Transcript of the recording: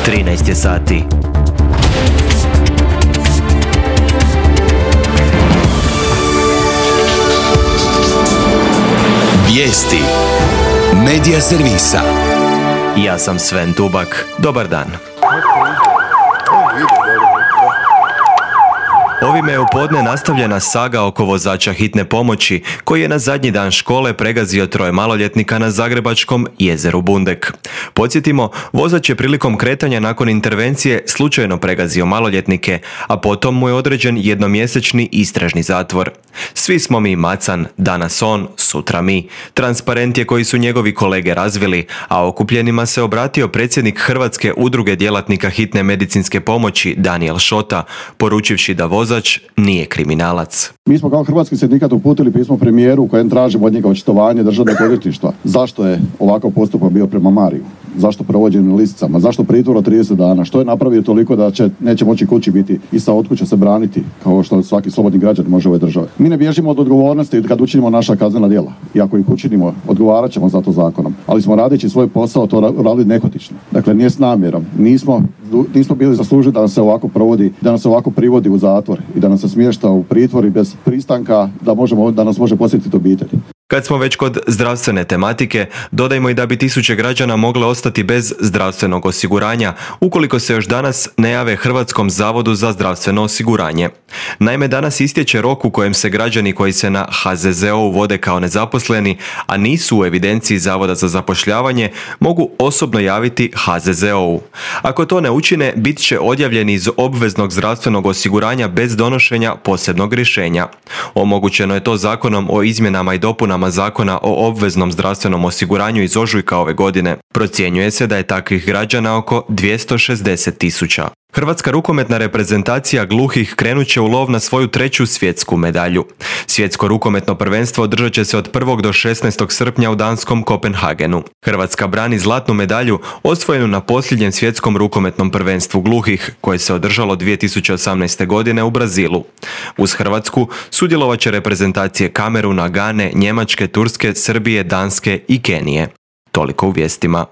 13 je sati. Vijesti Medija servisa. Ja sam Sven Tubak. Dobar dan. Ovime je u podne nastavljena saga oko vozača hitne pomoći koji je na zadnji dan škole pregazio 3 maloljetnika na zagrebačkom jezeru Bundek. Podsjetimo, vozač je prilikom kretanja nakon intervencije slučajno pregazio maloljetnike, a potom mu je određen jednomjesečni istražni zatvor. Svi smo mi macan, danas on, sutra mi. Transparent je koji su njegovi kolege razvili, a okupljenima se obratio predsjednik Hrvatske udruge djelatnika hitne medicinske pomoći Danijel Šota, poručivši da vozač nije kriminalac. Mi smo kao Hrvatski sindikat uputili pismo premijeru u kojem tražimo od njega očitovanje državnog odvjetništva. Zašto je ovakav postupak bio prema Mariju? Zašto provođen na lisicama? Zašto pritvor od 30 dana? Što je napravio toliko da neće moći kući biti i sa od kuće se braniti kao što svaki slobodni građan može u ovoj državi? Mi ne bježimo od odgovornosti kad učinimo naša kaznena djela. I ako ih učinimo, odgovarat ćemo za to zakonom. Ali smo radeći svoj posao to radili nehotično. Dakle, nije s namjerom. Nismo bili zaslužili da nas se ovako provodi, da nas se ovako privodi u zatvor i da nas se smješta u pritvor i bez pristanka da nas može posjetiti obitelj. Kad smo već kod zdravstvene tematike, dodajmo i da bi tisuće građana mogle ostati bez zdravstvenog osiguranja ukoliko se još danas ne jave Hrvatskom zavodu za zdravstveno osiguranje. Naime, danas istječe rok u kojem se građani koji se na HZZO vode kao nezaposleni, a nisu u evidenciji Zavoda za zapošljavanje, mogu osobno javiti HZZO-u. Ako to ne učine, bit će odjavljeni iz obveznog zdravstvenog osiguranja bez donošenja posebnog rješenja. Omogućeno je to Zakonom o izmjenama i dopunama Zakona o obveznom zdravstvenom osiguranju iz ožujka ove godine. Procjenjuje se da je takvih građana oko 260.000. Hrvatska rukometna reprezentacija gluhih krenut će u lov na svoju 3. svjetsku medalju. Svjetsko rukometno prvenstvo održat će se od 1. do 16. srpnja u danskom Kopenhagenu. Hrvatska brani zlatnu medalju osvojenu na posljednjem svjetskom rukometnom prvenstvu gluhih, koje se održalo 2018. godine u Brazilu. Uz Hrvatsku sudjelovat će reprezentacije Kameruna, Gane, Njemačke, Turske, Srbije, Danske i Kenije. Toliko u vijestima.